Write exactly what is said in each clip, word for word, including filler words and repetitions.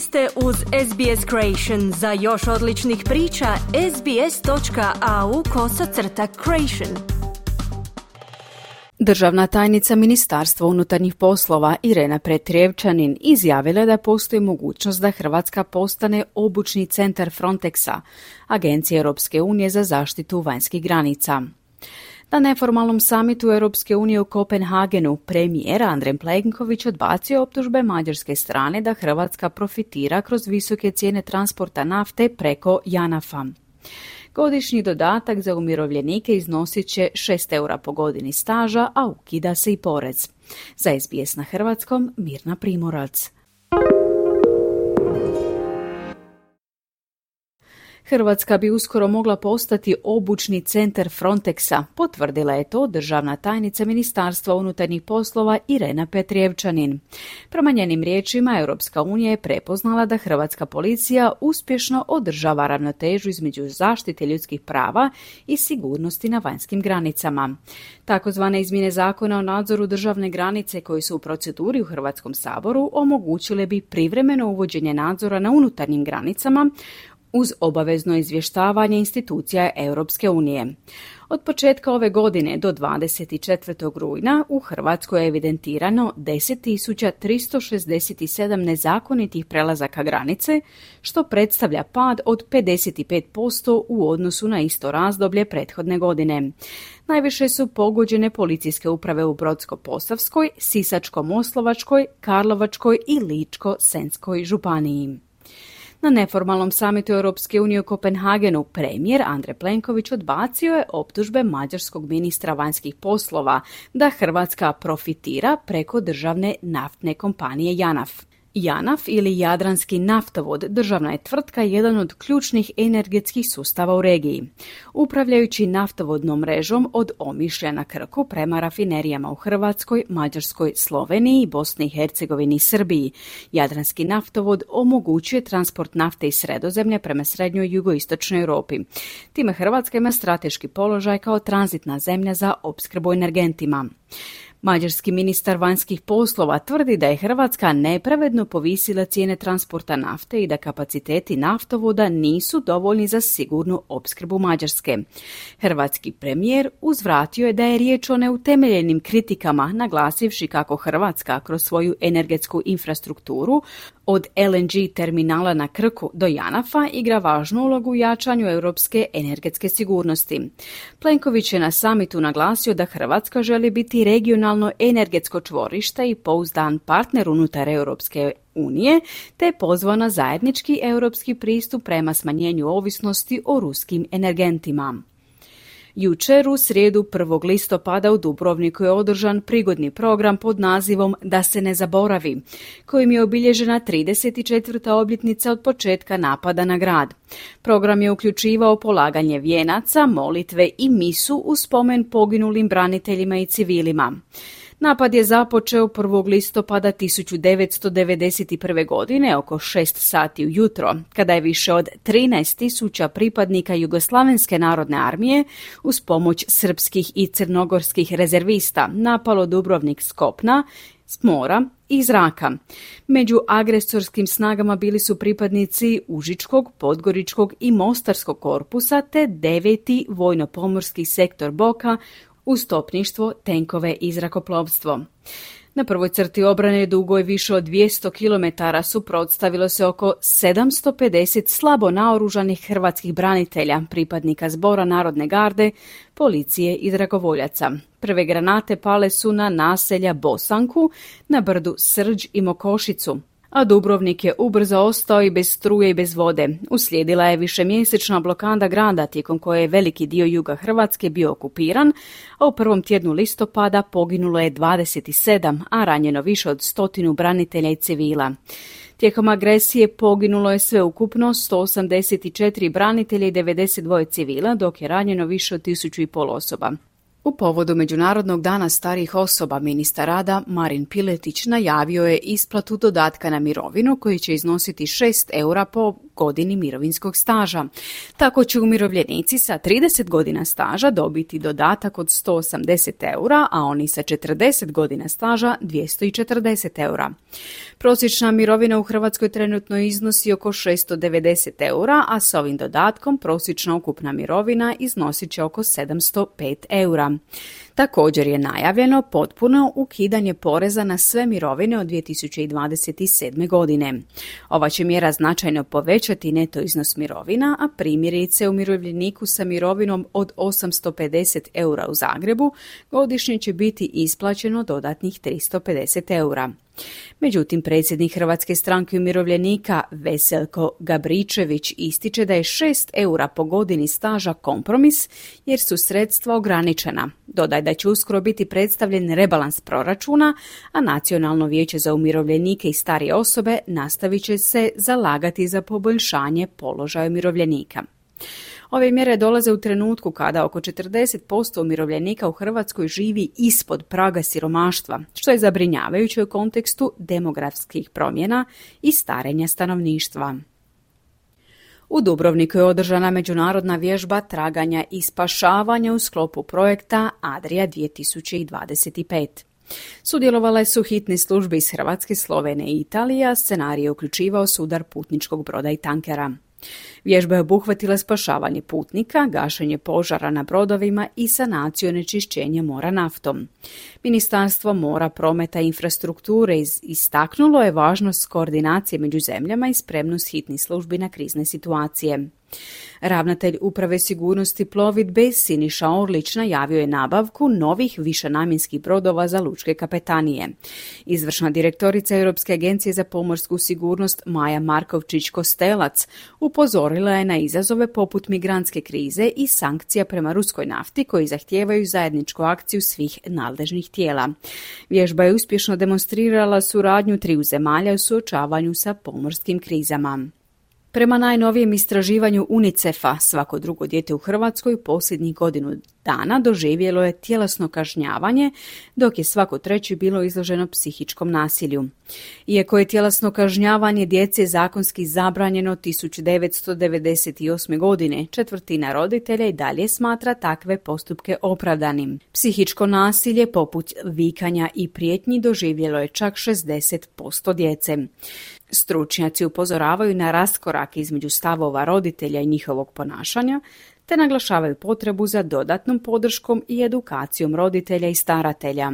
ste uz S B S Creation. Za još odličnih priča, sbs.au kosacrta creation. Državna tajnica Ministarstva unutarnjih poslova Irena Petrijevčanin izjavila da postoji mogućnost da Hrvatska postane obučni centar Frontexa, Agencije Europske unije za zaštitu vanjskih granica. Na neformalnom samitu Europske unije u Kopenhagenu premijer Andrej Plenković odbacio optužbe mađarske strane da Hrvatska profitira kroz visoke cijene transporta nafte preko Janafa. Godišnji dodatak za umirovljenike iznosit će šest eura po godini staža, a ukida se i porez. Za S B S na hrvatskom, Mirna Primorac. Hrvatska bi uskoro mogla postati obučni centar Frontexa, potvrdila je to državna tajnica Ministarstva unutarnjih poslova Irena Petrijevčanin. Prema njenim riječima, Europska unija je prepoznala da hrvatska policija uspješno održava ravnotežu između zaštite ljudskih prava i sigurnosti na vanjskim granicama. Takozvane izmjene zakona o nadzoru državne granice koji su u proceduri u Hrvatskom saboru omogućile bi privremeno uvođenje nadzora na unutarnjim granicama uz obavezno izvještavanje institucija Europske unije. Od početka ove godine do dvadeset četvrtog rujna u Hrvatskoj je evidentirano deset tisuća tristo šezdeset sedam nezakonitih prelazaka granice, što predstavlja pad od pedeset pet posto u odnosu na isto razdoblje prethodne godine. Najviše su pogođene policijske uprave u Brodsko-posavskoj, Sisačko-moslavačkoj, Karlovačkoj i Ličko-senjskoj županiji. Na neformalnom samitu Europske unije u Kopenhagenu premijer Andrej Plenković odbacio je optužbe mađarskog ministra vanjskih poslova da Hrvatska profitira preko državne naftne kompanije Janaf. Janaf ili Jadranski naftovod državna je tvrtka jedan od ključnih energetskih sustava u regiji. Upravljajući naftovodnom mrežom od Omišlja na Krku prema rafinerijama u Hrvatskoj, Mađarskoj, Sloveniji, Bosni i Hercegovini i Srbiji, Jadranski naftovod omogućuje transport nafte iz Sredozemlja prema srednjoj i jugoistočnoj Europi. Time Hrvatska ima strateški položaj kao tranzitna zemlja za opskrbu energentima. Mađarski ministar vanjskih poslova tvrdi da je Hrvatska nepravedno povisila cijene transporta nafte i da kapaciteti naftovoda nisu dovoljni za sigurnu opskrbu Mađarske. Hrvatski premijer uzvratio je da je riječ o neutemeljenim kritikama, naglasivši kako Hrvatska kroz svoju energetsku infrastrukturu od L N G terminala na Krku do Janafa igra važnu ulogu u jačanju europske energetske sigurnosti. Plenković je na samitu naglasio da Hrvatska želi biti regionalno energetsko čvorište i pouzdan partner unutar Europske unije, te pozvao na zajednički europski pristup prema smanjenju ovisnosti o ruskim energentima. Jučer u srijedu prvog listopada u Dubrovniku je održan prigodni program pod nazivom Da se ne zaboravi, kojim je obilježena trideset četvrta obljetnica od početka napada na grad. Program je uključivao polaganje vijenaca, molitve i misu u spomen poginulim braniteljima i civilima. Napad je započeo prvog listopada tisuću devetsto devedeset prve. godine oko šest sati ujutro, kada je više od trinaest tisuća pripadnika Jugoslavenske narodne armije uz pomoć srpskih i crnogorskih rezervista napalo Dubrovnik s kopna, s mora i zraka. Među agresorskim snagama bili su pripadnici Užičkog, Podgoričkog i Mostarskog korpusa te deveti vojno-pomorski sektor Boka uz topništvo, tenkove i zrakoplovstvo. Na prvoj crti obrane dugoj više od dvjesto kilometara suprotstavilo se oko sedamsto pedeset slabo naoružanih hrvatskih branitelja, pripadnika Zbora Narodne garde, policije i dragovoljaca. Prve granate pale su na naselja Bosanku, na brdu Srđ i Mokošicu, a Dubrovnik je ubrzo ostao i bez struje i bez vode. Uslijedila je višemjesečna blokada grada tijekom koje je veliki dio juga Hrvatske bio okupiran, a u prvom tjednu listopada poginulo je dvadeset sedam, a ranjeno više od stotinu branitelja i civila. Tijekom agresije poginulo je sveukupno sto osamdeset četiri branitelja i devedeset dva civila, dok je ranjeno više od tisuću i pol osoba. U povodu Međunarodnog dana starijih osoba ministar rada Marin Piletić najavio je isplatu dodatka na mirovinu koji će iznositi šest eura po godini mirovinskog staža. Tako će umirovljenici sa trideset godina staža dobiti dodatak od sto osamdeset eura, a oni sa četrdeset godina staža dvjesto četrdeset eura. Prosječna mirovina u Hrvatskoj trenutno iznosi oko šesto devedeset eura, a s ovim dodatkom prosječna ukupna mirovina iznosit će oko sedamsto pet eura. Također je najavljeno potpuno ukidanje poreza na sve mirovine od dvije tisuće dvadeset sedme. godine. Ova će mjera značajno povećati neto iznos mirovina, a primjerice umirovljeniku sa mirovinom od osamsto pedeset eura u Zagrebu godišnje će biti isplaćeno dodatnih tristo pedeset eura. Međutim, predsjednik Hrvatske stranke umirovljenika Veselko Gabričević ističe da je šest eura po godini staža kompromis jer su sredstva ograničena. Dodaj da će uskoro biti predstavljen rebalans proračuna, a Nacionalno vijeće za umirovljenike i starije osobe nastavit će se zalagati za poboljšanje položaja umirovljenika. Ove mjere dolaze u trenutku kada oko četrdeset posto umirovljenika u Hrvatskoj živi ispod praga siromaštva, što je zabrinjavajuće u kontekstu demografskih promjena i starenja stanovništva. U Dubrovniku je održana međunarodna vježba traganja i spašavanja u sklopu projekta Adria dvije tisuće dvadeset pet. Sudjelovale su hitne službe iz Hrvatske, Slovenije i Italije, a scenarij je uključivao sudar putničkog broda i tankera. Vježba je obuhvatila spašavanje putnika, gašenje požara na brodovima i sanaciju onečišćenja mora naftom. Ministarstvo mora, prometa i infrastrukture istaknulo je važnost koordinacije među zemljama i spremnost hitnih službi na krizne situacije. Ravnatelj Uprave sigurnosti plovidbe Siniša Orlić najavio je nabavku novih višenamjenskih brodova za lučke kapetanije. Izvršna direktorica Europske agencije za pomorsku sigurnost Maja Markovčić-Kostelac upozorila je na izazove poput migrantske krize i sankcija prema ruskoj nafti koji zahtijevaju zajedničku akciju svih nadležnih tijela. Vježba je uspješno demonstrirala suradnju triju zemalja u suočavanju sa pomorskim krizama. Prema najnovijem istraživanju UNICEF-a, svako drugo dijete u Hrvatskoj posljednjih godinu dana doživjelo je tjelesno kažnjavanje, dok je svako treće bilo izloženo psihičkom nasilju. Iako je tjelesno kažnjavanje djece zakonski zabranjeno tisuću devetsto devedeset osme. godine, četvrtina roditelja i dalje smatra takve postupke opravdanim. Psihičko nasilje, poput vikanja i prijetnji, doživjelo je čak šezdeset posto djece. Stručnjaci upozoravaju na raskorak između stavova roditelja i njihovog ponašanja, te naglašavaju potrebu za dodatnom podrškom i edukacijom roditelja i staratelja.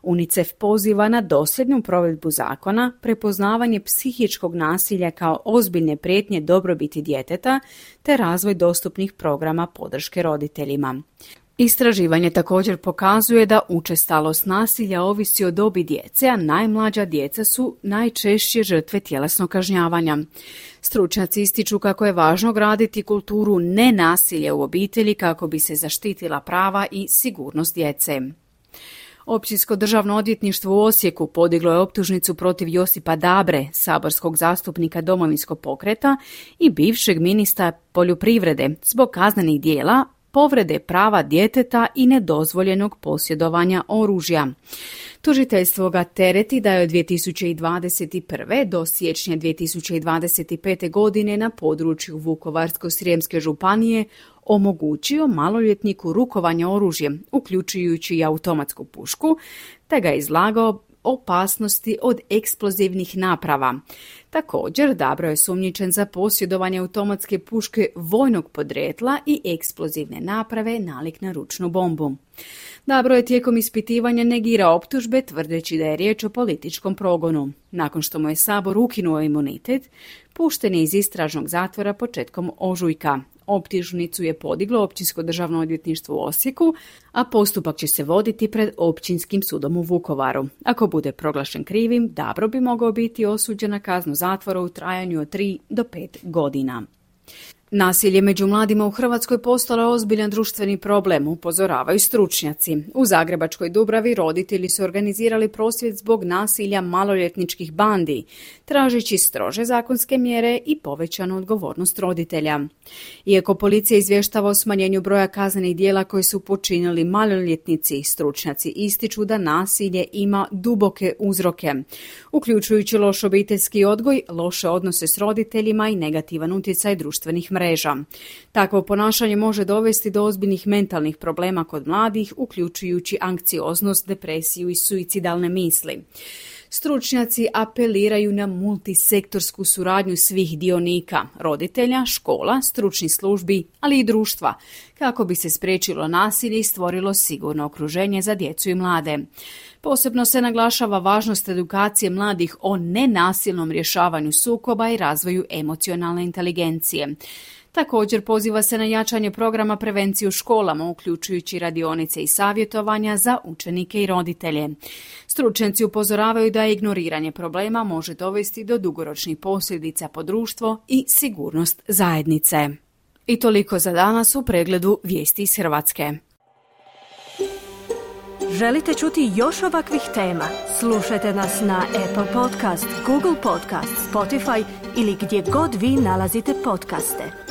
UNICEF poziva na dosljednu provedbu zakona, prepoznavanje psihičkog nasilja kao ozbiljne prijetnje dobrobiti djeteta, te razvoj dostupnih programa podrške roditeljima. Istraživanje također pokazuje da učestalost nasilja ovisi o dobi djece, a najmlađa djeca su najčešće žrtve tjelesnog kažnjavanja. Stručnjaci ističu kako je važno graditi kulturu nenasilja u obitelji kako bi se zaštitila prava i sigurnost djece. Općinsko državno odvjetništvo u Osijeku podiglo je optužnicu protiv Josipa Dabre, saborskog zastupnika Domovinskog pokreta i bivšeg ministra poljoprivrede zbog kaznenih djela povrede prava djeteta i nedozvoljenog posjedovanja oružja. Tužiteljstvo ga tereti da je od dvije tisuće dvadeset prve. do siječnja dvije tisuće dvadeset pete. godine na području Vukovarsko-srijemske županije omogućio maloljetniku rukovanje oružjem, uključujući i automatsku pušku, te ga je izlagao opasnosti od eksplozivnih naprava. Također, Dabro je sumnjičen za posjedovanje automatske puške vojnog podrijetla i eksplozivne naprave nalik na ručnu bombu. Dabro je tijekom ispitivanja negirao optužbe tvrdeći da je riječ o političkom progonu. Nakon što mu je Sabor ukinuo imunitet, pušten je iz istražnog zatvora početkom ožujka. Optužnicu je podiglo Općinsko državno odvjetništvo u Osijeku, a postupak će se voditi pred Općinskim sudom u Vukovaru. Ako bude proglašen krivim, Dabro bi mogao biti osuđen na kaznu zatvora u trajanju od tri do pet godina. Nasilje među mladima u Hrvatskoj postalo je ozbiljan društveni problem, upozoravaju stručnjaci. U Zagrebačkoj Dubravi roditelji su organizirali prosvjed zbog nasilja maloljetničkih bandi, tražeći strože zakonske mjere i povećanu odgovornost roditelja. Iako policija izvještava o smanjenju broja kaznenih djela koje su počinili maloljetnici, stručnjaci ističu da nasilje ima duboke uzroke, uključujući loš obiteljski odgoj, loše odnose s roditeljima i negativan utjecaj društvenih mreža. mreža. Takvo ponašanje može dovesti do ozbiljnih mentalnih problema kod mladih, uključujući anksioznost, depresiju i suicidalne misli. Stručnjaci apeliraju na multisektorsku suradnju svih dionika, roditelja, škola, stručnih službi, ali i društva, kako bi se spriječilo nasilje i stvorilo sigurno okruženje za djecu i mlade. Posebno se naglašava važnost edukacije mladih o nenasilnom rješavanju sukoba i razvoju emocionalne inteligencije. Također poziva se na jačanje programa prevencije u školama, uključujući radionice i savjetovanja za učenike i roditelje. Stručnjaci upozoravaju da ignoriranje problema može dovesti do dugoročnih posljedica po društvo i sigurnost zajednice. I toliko za danas u pregledu vijesti iz Hrvatske. Želite čuti još ovakvih tema? Slušajte nas na Apple Podcast, Google Podcast, Spotify ili gdje god vi nalazite podcaste.